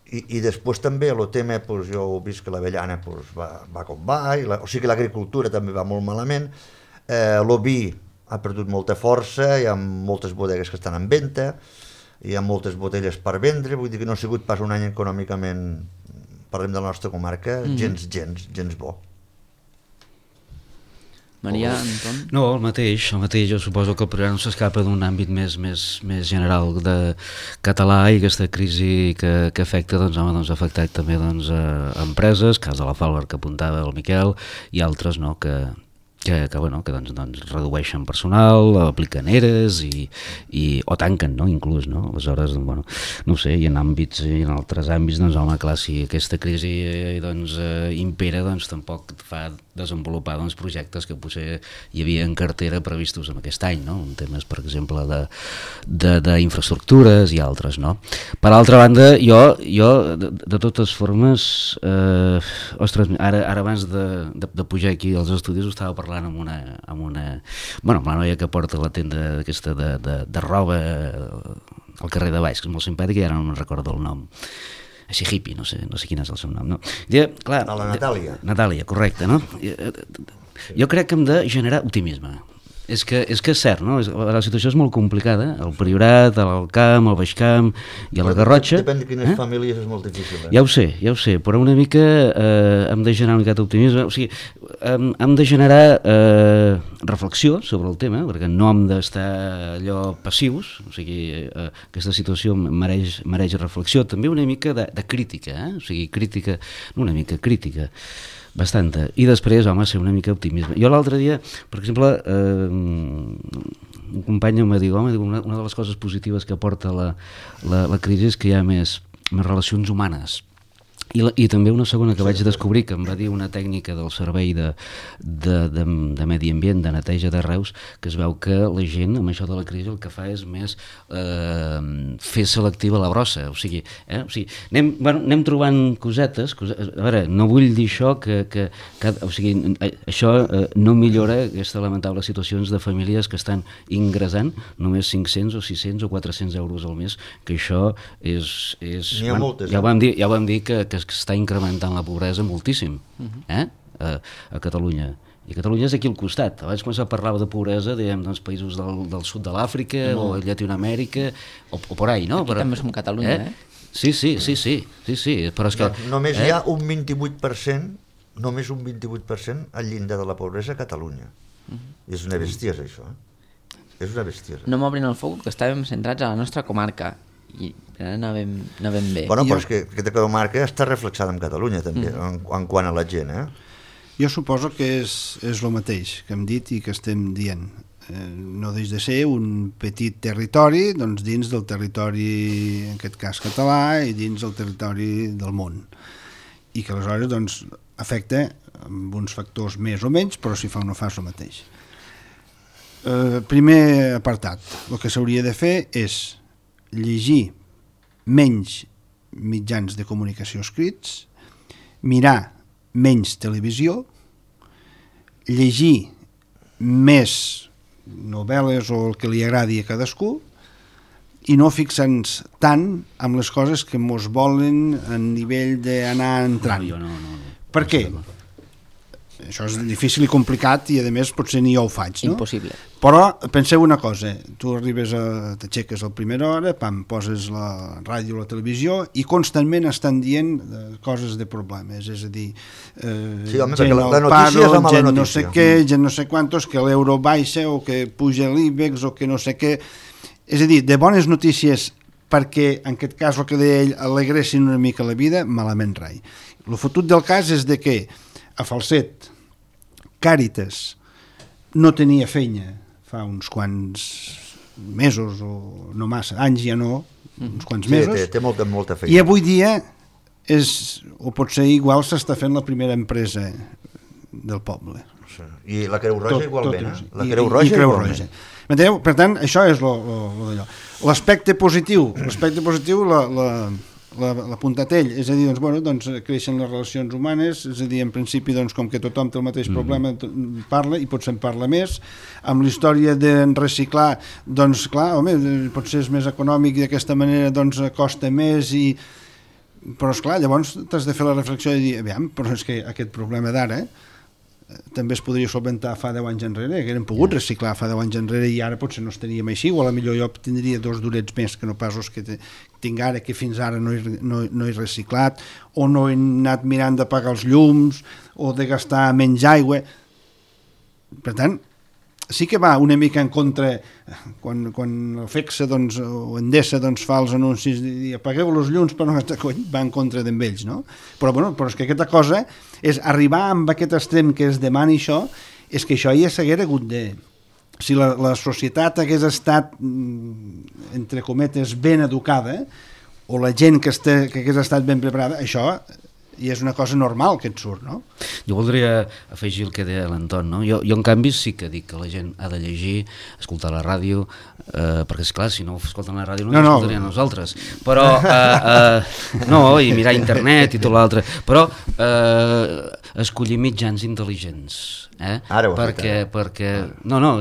I després també el tema, jo he vist que l'avellana va com va, o sigui que l'agricultura també va molt malament, l'oví ha perdut molta força, hi ha moltes bodegues que estan en venda, hi ha moltes botelles per vendre, vull dir que no ha sigut pas un any econòmicament, parlem de la nostra comarca, gens bo. Maria, Anton? No, el mateix, jo suposo que el programa no s'escapa d'un àmbit més general de català i aquesta crisi que afecta, ha afectat també a empreses, cas de la Falbar que apuntava el Miquel, i altres que redueixen personal, apliquen ERES o tanquen, inclús, aleshores, no ho sé, i en altres àmbits, home, clar, si aquesta crisi impera, tampoc fa desenvolupar projectes que potser hi havia en cartera previstos en aquest any, en temes, per exemple, d'infraestructures i altres, no? Per altra banda, jo de totes formes, ostres, ara abans de pujar aquí als estudis ho estava parlant amb la noia que porta la tenda aquesta de roba al carrer de Baix, que és molt simpàtica i ara no me'n recordo el nom. Així hippie, no sé quin és el seu nom. No? Clar, la Natàlia. Natàlia, correcte, no? Jo crec que hem de generar optimisme. És que és cert, no? La situació és molt complicada, el Priorat, el Camp, el Baixcamp i a la Garrotxa. Depèn de quines famílies és molt difícil. Ja ho sé, però una mica hem de generar una mica d'optimisme, o sigui, hem de generar reflexió sobre el tema, perquè no hem d'estar allò passius, o sigui, aquesta situació mereix reflexió, també una mica de crítica, o sigui, crítica, no una mica, crítica, bastanta. I després, home, ser una mica optimisme. Jo l'altre dia, per exemple, un company em va dir, una de les coses positives que aporta la crisi és que hi ha més relacions humanes. I també una segona que vaig descobrir, que em va dir una tècnica del servei de medi ambient, de neteja de Reus, que es veu que la gent, amb això de la crisi, el que fa és més fer selectiva la brossa. O sigui, anem trobant cosetes. A veure, no vull dir això això no millora aquesta lamentable situacions de famílies que estan ingressant només 500 o 600 o 400 euros al mes, que això és... N'hi ha moltes. Ja ho vam dir que està incrementant la pobresa moltíssim a Catalunya. I Catalunya és aquí al costat. Abans quan se parlava de pobresa, dèiem, països del sud de l'Àfrica o Llatinoamèrica o por ahí, no? Aquí també som Catalunya, Sí, però és que... Només hi ha un 28%, només un 28% al llindar de la pobresa a Catalunya. És una bestiesa, això. És una bestiesa. No m'obrin el foc, que estàvem centrats a la nostra comarca. I anàvem bé. Bueno, però és que aquesta comarca està reflexada en Catalunya també, en quant a la gent, Jo suposo que és el mateix que hem dit i que estem dient. No deix de ser un petit territori dins del territori, en aquest cas català, i dins del territori del món. I que aleshores afecta amb uns factors més o menys, però si fa o no fa és el mateix. Primer apartat, el que s'hauria de fer és llegir menys mitjans de comunicació escrits, mirar menys televisió, llegir més novel·les o el que li agradi a cadascú, i no fixar-nos tant amb les coses que mos volen a nivell d'anar entrant. No. Per què? Això és difícil i complicat i a més potser ni jo ho faig, no? Impossible. Però penseu una cosa, tu t'aixeques a la primera hora, poses la ràdio o la televisió i constantment estan dient coses de problemes, és a dir, home, gent la al notícia és paro, la mala gent no notícia. sé què, gent no sé quantos, que l'euro baixa o que puja l'IBEX o que no sé què. És a dir, de bones notícies perquè, en aquest cas, el que deia ell, alegressin una mica la vida, malament rai. El fotut del cas és de que a Falset, Càritas no tenia feina fa uns quants mesos o no massa, anys ja no, uns quants mesos. Sí, té molta feina. I avui dia o potser igual s'està fent la primera empresa del poble. I la Creu Roja igualment. La Creu Roja. M'enteneu? Per tant, això és d'allò. L'aspecte positiu, l'apuntat ell, és a dir, doncs, creixen les relacions humanes, és a dir, en principi, doncs, com que tothom té el mateix problema, parla, i potser en parla més. Amb la història de reciclar, doncs, clar, home, potser és més econòmic i d'aquesta manera, doncs, costa més, però, esclar, llavors t'has de fer la reflexió i dir, aviam, però és que aquest problema d'ara també es podria solventar fa 10 anys enrere, que eren pogut reciclar fa 10 anys enrere i ara potser no estaríem així, o potser jo tindria 2 durets més que no pas els que tinc ara, que fins ara no he reciclat, o no he anat mirant de pagar els llums, o de gastar menys aigua. Per tant, sí que va una mica en contra quan el FECSA o Endesa fa els anuncis i apagueu els llums per no gastar cony, va en contra d'ells, no? Però és que aquesta cosa és arribar amb aquest extrem que es demani això, és que això ja s'haguera hagut de... Si la societat hagués estat, entre cometes, ben educada, o la gent que hagués estat ben preparada, això i és una cosa normal que et surt, no? Jo voldria afegir el que deia l'Anton, no? Jo en canvi sí que dic que la gent ha de llegir, escoltar la ràdio, perquè esclar, si no escolten la ràdio no ens escoltarien nosaltres, però i mirar internet i tot l'altre, però escollir mitjans intel·ligents, perquè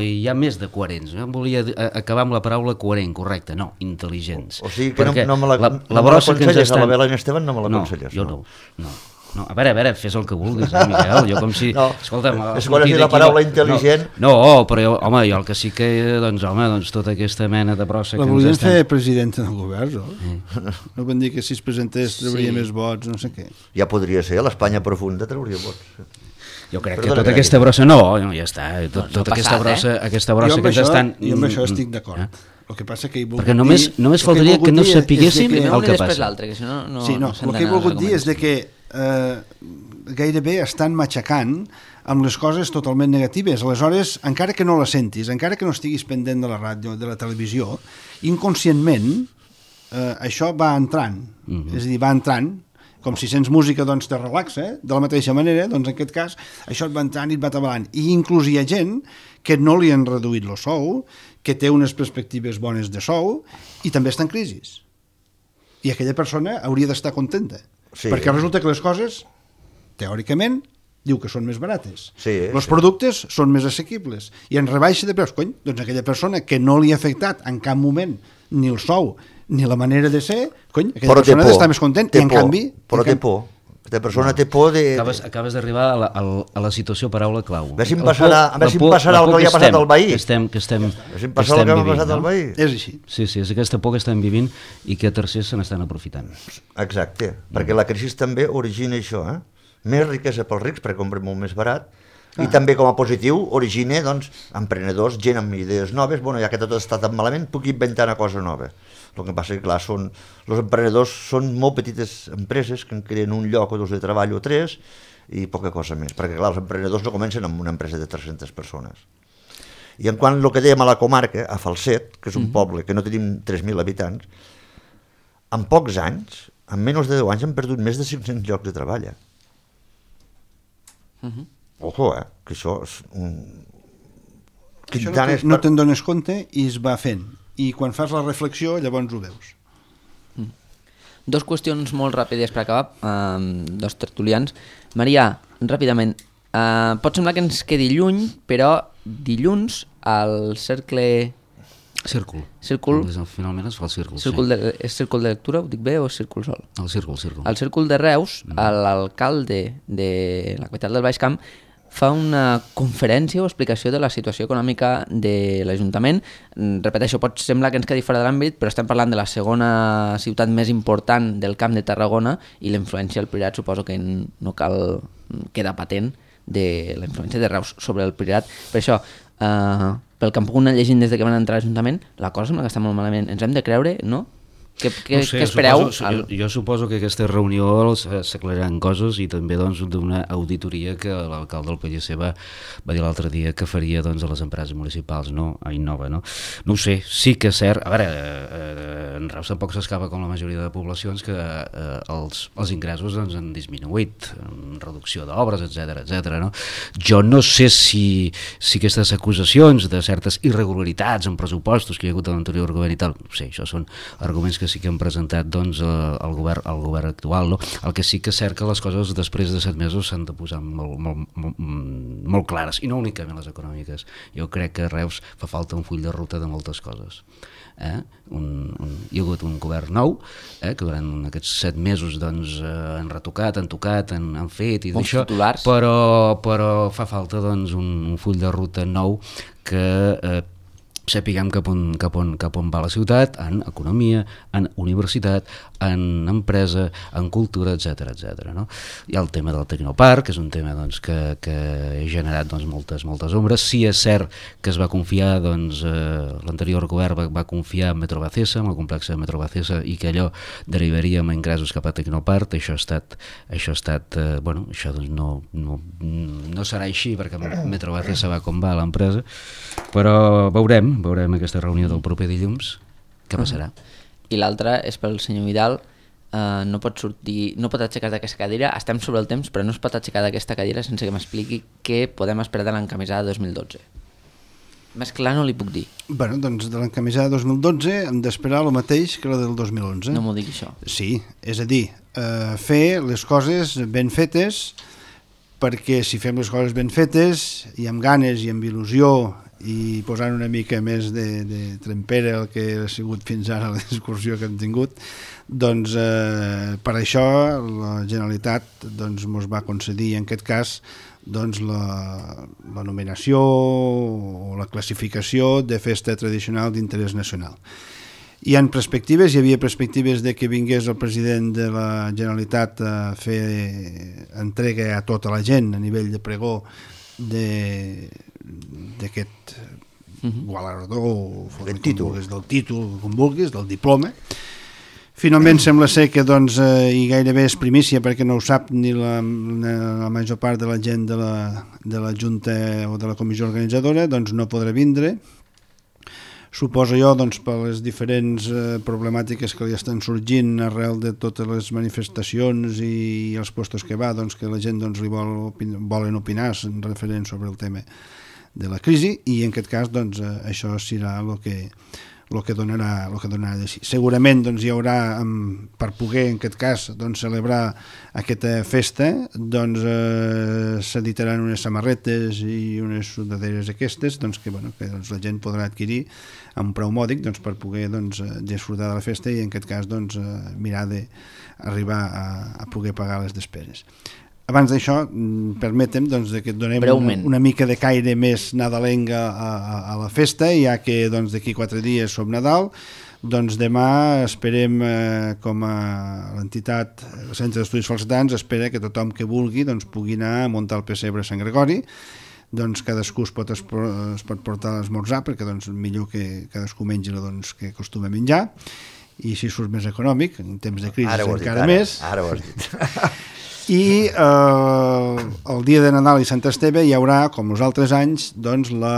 hi ha més de coherents, no? Volia acabar amb la paraula coherent, correcte, no, intel·ligents. O sigui que no me l'aconselles a la Belén Esteban, no me l'aconselles. No, jo no. A veure, fes el que vulguis, Miquel, jo com si... Escolta'm... És quan has dit la paraula intel·ligent... No, però jo el que sí que... Doncs tota aquesta mena de brossa que ens volien fer presidenta del govern, no? No van dir que si es presentés trauria més vots, no sé què. Ja podria ser, a l'Espanya profunda trauria vots. Jo crec que tota aquesta brossa... No, ja està. Tota aquesta brossa que ens estan... Jo amb això estic d'acord. El que passa que he volgut perquè només faltaria que no sapiguéssim el que passa. Que si no, sí, el que he volgut dir és que gairebé estan matxacant amb les coses totalment negatives. Aleshores, encara que no la sentis, encara que no estiguis pendent de la ràdio, de la televisió, inconscientment això va entrant. És a dir, va entrant, com si sents música doncs te relaxa, de la mateixa manera, doncs en aquest cas això et va entrant i et va atabalant. I inclús hi ha gent que no li han reduït el sou, que té unes perspectives bones de sou i també està en crisi. I aquella persona hauria d'estar contenta, perquè resulta que les coses, teòricament, diu que són més barates. Els productes són més assequibles i en rebaixa de preus. Doncs aquella persona que no li ha afectat en cap moment ni el sou ni la manera de ser, aquella persona ha d'estar més content. I en canvi... Però té por. Aquesta persona té por de... Acabes d'arribar a la situació paraula clau. A veure si em passarà el que li ha passat al veí. Que estem passarà el que ha passat al veí. És així. Sí, és aquesta por que estem vivint i que tercers se n'estan aprofitant. Exacte, perquè la crisi també origina això, més riquesa pels rics perquè compren molt més barat, i també com a positiu origina emprenedors, gent amb idees noves, ja que tot està tan malament, puc inventar una cosa nova. El que passa que, clar, els emprenedors són molt petites empreses que en creen un lloc o 2 de treball o 3 i poca cosa més, perquè, clar, els emprenedors no comencen amb una empresa de 300 persones. I en quant al que dèiem a la comarca, a Falset, que és un poble que no tenim 3.000 habitants, en pocs anys, en menys de 10 anys, han perdut més de 500 llocs de treball. Ojo, que això és no te'n dones compte i es va fent. I quan fas la reflexió, llavors ho veus. 2 qüestions molt ràpides per acabar, 2 tertulians. Maria, ràpidament, pot semblar que ens quedi lluny, però dilluns al Cercle Círcul. Círcul. Finalment es fa el círcul, És círcul de lectura, ho dic bé, o és círcul sol? El círcul. Al Círcul de Reus, l'alcalde de la capital del Baix Camp fa una conferència o explicació de la situació econòmica de l'Ajuntament. Repeteixo, pot semblar que ens quedi fora de l'àmbit, però estem parlant de la segona ciutat més important del Camp de Tarragona i la influència del Priorat suposo que no cal quedar patent de la influència de Reus sobre el Priorat. Per això, pel que hem pogut anar llegint des que van entrar a l'Ajuntament, la cosa sembla que està molt malament. Ens hem de creure, no? Què espereu? Jo suposo que aquesta reunió s'aclariran coses i també d'una auditoria que l'alcalde del PLC va dir l'altre dia que faria a les empreses municipals, a Innova. No ho sé, sí que és cert. A veure, en Reus tampoc s'escapa com la majoria de poblacions que els ingressos han disminuït, reducció d'obres, etc. No? Jo no sé si aquestes acusacions de certes irregularitats en pressupostos que hi ha hagut a l'anterior govern i tal, no sé, això són arguments que sí que han presentat el govern actual. No? El que sí que és cert que les coses després de 7 mesos s'han de posar molt clares, i no únicament les econòmiques. Jo crec que a Reus fa falta un full de ruta de moltes coses. Hi ha hagut un govern nou que durant aquests 7 mesos han retocat, han tocat, han fet i d'això, però fa falta un full de ruta nou que sapiguem cap on va la ciutat, en economia, en universitat, en empresa, en cultura, etc. No? Hi ha el tema del Tecnoparc, que és un tema que ha generat moltes ombres. Sí, és cert que es va confiar, l'anterior govern va confiar en Metrobacesa, en el complex de Metrobacesa, i que allò derivaria amb ingressos cap a Tecnoparc. Això no serà així, perquè Metrobacesa va com va l'empresa, però veurem aquesta reunió del proper dilluns què passarà. I l'altra és pel senyor Vidal. No pot aixecar d'aquesta cadira, estem sobre el temps, però no es pot aixecar d'aquesta cadira sense que m'expliqui què podem esperar de l'encamisada 2012. Més clar no li puc dir. Bé, doncs de l'encamisada 2012 hem d'esperar el mateix que la del 2011. No m'ho digui això. Sí, és a dir, fer les coses ben fetes, perquè si fem les coses ben fetes i amb ganes i amb il·lusió i posant una mica més de trempera el que ha sigut fins ara la discussió que hem tingut, doncs per això la Generalitat ens va concedir en aquest cas la nominació o la classificació de festa tradicional d'interès nacional. Hi havia perspectives de que vingués el president de la Generalitat a fer entrega a tota la gent a nivell de pregó d'aquest gualardó, del títol, com vulguis, del diploma. Finalment sembla ser que i gairebé és primícia perquè no ho sap ni la major part de la gent de la Junta o de la comissió organitzadora, no podrà vindre. Suposo jo, per les diferents problemàtiques que li estan sorgint arrel de totes les manifestacions i els puestos que va, que la gent li volen opinar referent sobre el tema de la crisi, i en aquest cas això serà el que donarà de si. Segurament hi haurà, per poder en aquest cas celebrar aquesta festa, s'editaran unes samarretes i unes sudaderes aquestes que la gent podrà adquirir a un preu mòdic per poder disfrutar de la festa i en aquest cas mirar d'arribar a poder pagar les despeses. Abans d'això, permetem que donem una mica de caire més nadalenga a la festa, ja que d'aquí 4 dies som Nadal. Demà esperem, com a l'entitat, el Centre d'Estudis Falsetans, espera que tothom que vulgui pugui anar a muntar el pessebre a Sant Gregori. Cadascú es pot portar a l'esmorzar, perquè millor que cadascú mengi el que acostuma a menjar, i si surt més econòmic, en temps de crisi encara més. Ara ho has dit. I el dia de Nadal i Sant Esteve hi haurà, com els altres anys, la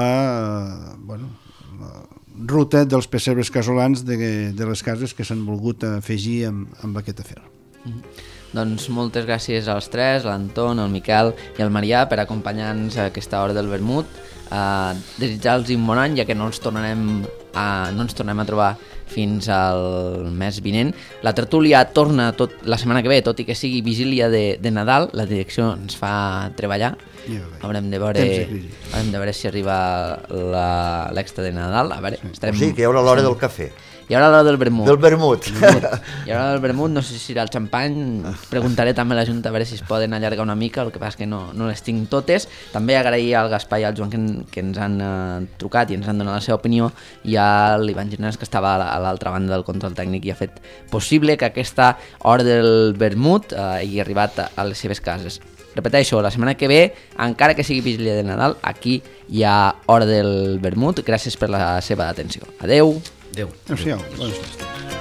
ruta dels pessebres casolans de les cases que s'han volgut afegir amb aquest afer. Doncs moltes gràcies als tres, l'Anton, el Miquel i el Marià, per acompanyar-nos a aquesta hora del vermut. Desitjar-los un bon any, ja que no ens tornarem no ens tornem a trobar fins al mes vinent. La tertúlia torna la setmana que ve, tot i que sigui vigília de Nadal. La direcció ens fa treballar. Haurem de veure si arriba l'extra de Nadal. A veure, O sigui, que hi haurà l'hora del cafè. Hi haurà l'hora del vermut. Del vermut. Hi haurà el vermut, no sé si serà el xampany. Preguntaré també a la Junta a veure si es poden allargar una mica, el que passa és que no les tinc totes. També agrair al Gaspar i al Joan que ens han trucat i ens han donat la seva opinió, i a l'Ivan Girnes, que estava a l'altra banda del control tècnic i ha fet possible que aquesta hora del vermut hagi arribat a les seves cases. Repeteixo, la setmana que ve, encara que sigui vigília de Nadal, aquí hi ha hora del vermut. Gràcies per la seva atenció. Adeu. Adéu. Adéu-siau. Bones festes.